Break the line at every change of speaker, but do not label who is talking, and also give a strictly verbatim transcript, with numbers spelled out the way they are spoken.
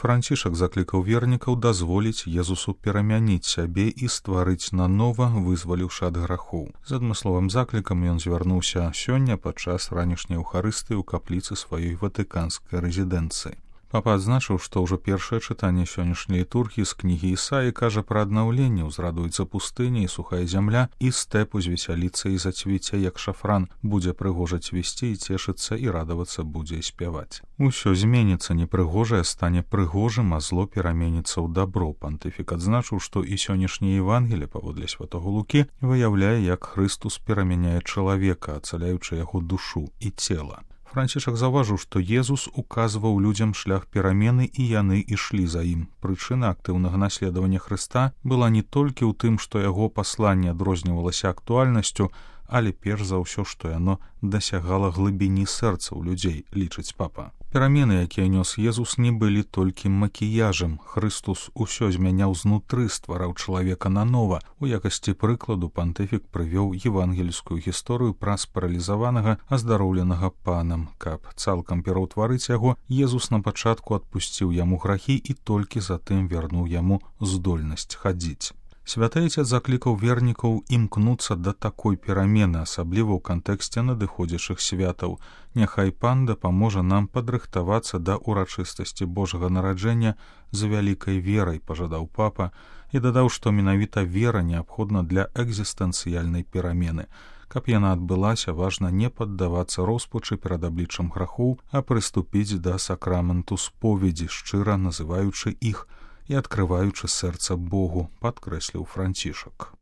Францішак заклікаў вернікаў дазволіць Езусу перамяніць сябе і стварыць нанова, вызваліўшы ад грахоў. З адмысловым заклікам ён звярнуўся сёння падчас ранішняй эўхарыстыі ў капліцы сваёй ватыканскай рэзідэнцыі. Папа адзначыў, што ўжо першае чытанне сённяшняй літургіі з кнігі Ісаі кажа пра аднаўленне, узрадуецца пустыня і сухая зямля, і стэп узвесяліцца і зацвіце, як шафран, будзе прыгожа цвісці і цешыцца, і радавацца будзе і спяваць. Усё зменіцца, непрыгожае стане прыгожым, а зло пераменіцца ў дабро. Пантыфік адзначыў, што і сённяшняе Евангелие, паводле святога Лукі, выяўляе, як Хрыстус перамяняе чалавека, ацаляючы яго душу і цела. Францішак заўважыў, што Езус указваў людзям шлях перамены, і яны ішлі за ім. Прычына актыўнага наследавання Хрыста была не толькі ў тым, што яго пасланне адрознівалася актуальнасцю, але перш за ўсё, што яно дасягала глыбіні сэрцаў людзей, лічыць папа. Перамены, якія нёс Езус, не былі толькі макіяжам. Хрыстус усё змяняў знутры, ствараў чалавека нанова. У якасці прыкладу пантыфік прывёў евангельскую гісторыю пра спаралізаванага, аздароўленага панам. Каб цалкам пераўтварыць яго, Езус на пачатку адпусціў яму грахі і толькі затым вярнуў яму здольнасць хадзіць. Святы Айцец заклікаў вернікаў імкнуцца да такой перамены, асабліва ў кантэксце надыходзячых святаў. Няхай Пан дапаможа нам падрыхтавацца да ўрачыстасці Божага нараджэння з вялікай верай, пажадаў папа, і дадаў, што менавіта вера неабходна для экзістэнцыяльнай перамены. Каб яна адбылася, важна не паддавацца роспачы перад абліччам грахоў, а прыступіць да сакраменту споведзі, шчыра называючы іх і адкрываючы сэрца Богу, падкрэсліў Францішак.